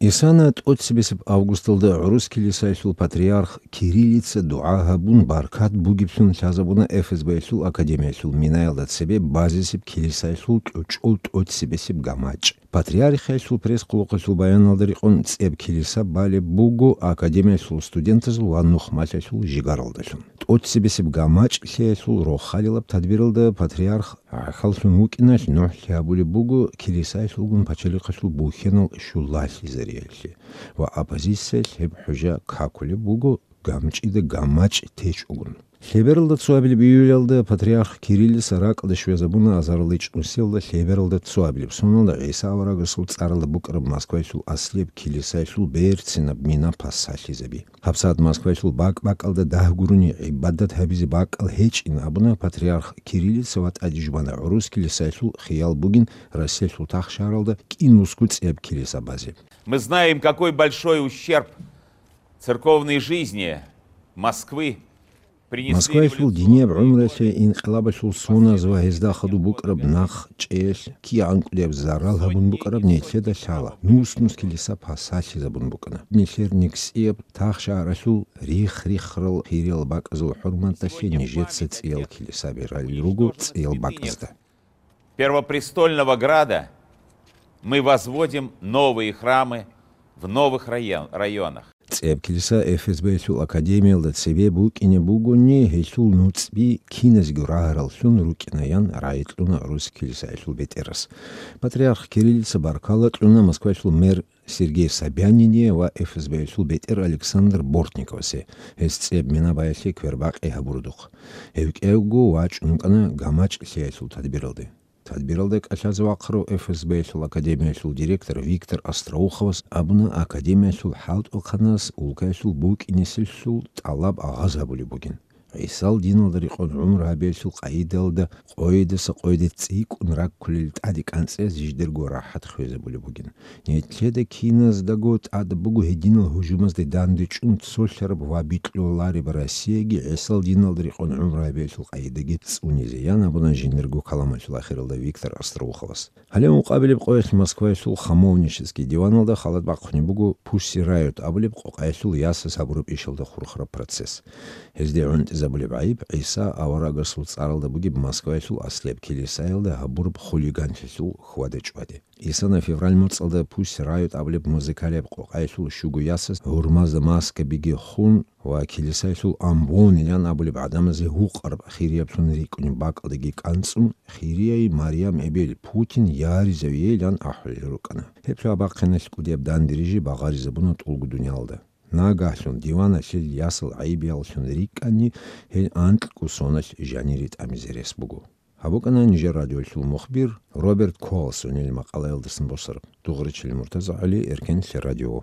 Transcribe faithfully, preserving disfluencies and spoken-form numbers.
Исана тӀоцебесеб августалда гӀурус килисаялъул патриарх Кириллица дугӀа гьабун, баркат бугеблъун лъазабуна ФСБ-ялъул академиялъул минаялда цебе базесеб килисаялъул кьучӀул тӀоцебесеб гамачӀ. Патриархиялъул пресс-хъулухъалъул баяналда рекъон, цӀеб килиса балеб буго академиялъул студентазул ва нухмалъаялъул жигаралдалъун. ТӀоцебесеб гамачӀ лъеялъул рохалилаб тадбиралда патриарх гӀахьаллъун вукӀиналъ нугӀлъи гьабулеб буго килисаялъулгун пачалихъалъул бухьанал щулалъизариялъе ва оппозициялъ гьеб хӀужа какулеб буго гамчӀида гамачӀ течӀогун. Лъебералда цоабилеб июлялда патриарх Кириллица ракӀалде щвезабуна азарилда чӀунусиялда лъебералда цоабилеб соналда ГӀиса аварагасул цӀаралда букӀараб Москваялъул аслияб килисаялъул берцинаб мина пасалъизаби. ГьабсагӀат Москваялъул бакӀ-бакӀалда дагь гурони гӀибадат гьабизе бакӀал гьечӀин абуна патриарх Кириллица ва тӀаде жубана гӀурус килисаялъул хиял бугин Россиялъул тахшагьаралда кӀинусго цӀеб килиса базе. Мы знаем, какой большой ущерб церковной жизни Москвы принесли Москваялъул динияб гӀумруялъе инкъилабалъул соназ ва гьезда хадуб букӀараб нахъчӀеялъ кигӀан кӀудияб зарал гьабун букӀараб нилъеда лъала, нус-нус килиса пасалъизабун букӀана. Нилъер нигсияб тахшагьаралъул рихх-риххарал хириял бакӀазул хӀурматалъе нижеца цӀиял килисаби ралел руго цӀиял бакӀазда. Первопрестольного града мы возводим новые храмы в новых район-, районах. ЦӀеб килиса ФСБ-ялъул академиялда цебе букӀине бугони, гьелъул нуцӀби киназго рагьараллъун рукӀинаян рагӀикьуна гӀурус килисаялъул бетӀерас. Патриарх Кириллица баркала кьуна Москваялъул мэр Сергей Собянине ва ФСБ-ялъул бетӀер Александр Бортниковасе, гьес цӀеб мина баялъе квербакъи гьабурудухъ. Гьев кӀиявго вачӀун вукӀана гамачӀ лъеялъул тадбиралде. Тадбиралда кӀалъазе вахъарав ФСБ-ялъул академиялъул директор Виктор Остроуховас абуна, академиялъул хӀалтӀухъанас улкаялъул букӀинеселъул тӀалаб агъаз гьабулеб бугин. ГӀисал диналда рекъон гӀумру гьабиялъул къагӀидалда къойидаса къойиде цӀикӀкӀун раккулел тӀаде кӀанцӀиялъ жидерго рахӀат хвезабулеб бугин. Нилъеда киназдаго тӀад буго гьединал гьужумазде дандечӀун цолъараб ва бикьулареб Россияги ГӀисал диналда рекъон гӀумру гьабиялъул къагӀидаги цӀунизе, ян абуна жиндирго каламалъул ахиралда Виктор Остроуховас. Гьале ункъабилеб къоялъ Москваялъул Хамовнический диваналда халат бахъунеб буго Pussy Riot абулеб къокъаялъул ясаз гьабураб ишалда хурхараб процесс. Гьезде гӀунтӀизабулеб гӀайиб ГӀиса аварагасул цӀаралда бугеб Москваялъул аслияб килисаялда гьабураб хулиганлъиялъул хьвада-чӀваде. Исана февраль моцӀалда Pussy Riot абулеб музыкалияб къокъаялъул щуго ясаз гьурмазда маскабиги хун ва килисаялъул амбонилан абулеб гӀадамазе гьукъараб хирияблъун рикӀкӀунеб бакӀалдеги кӀанцӀун, хирияй Марям эбел Путин яризавейилан ахӀулел рукӀана. Гьеб лъабахъиналъ кӀудияб дандирижи багъаризабуна тӀулго дуниялда. Нагагьлъун диваналъил ясал гӀайибияллъун рикӀкӀани, гьел анкьго соналъ жанире тӀамизе рес буго. Гьаб букӀана нижер радиоялъул мухбир Роберт Колсонил макъалаялдасан босараб. Дугъричилин МуртазагӀали, Эркенлъи радио.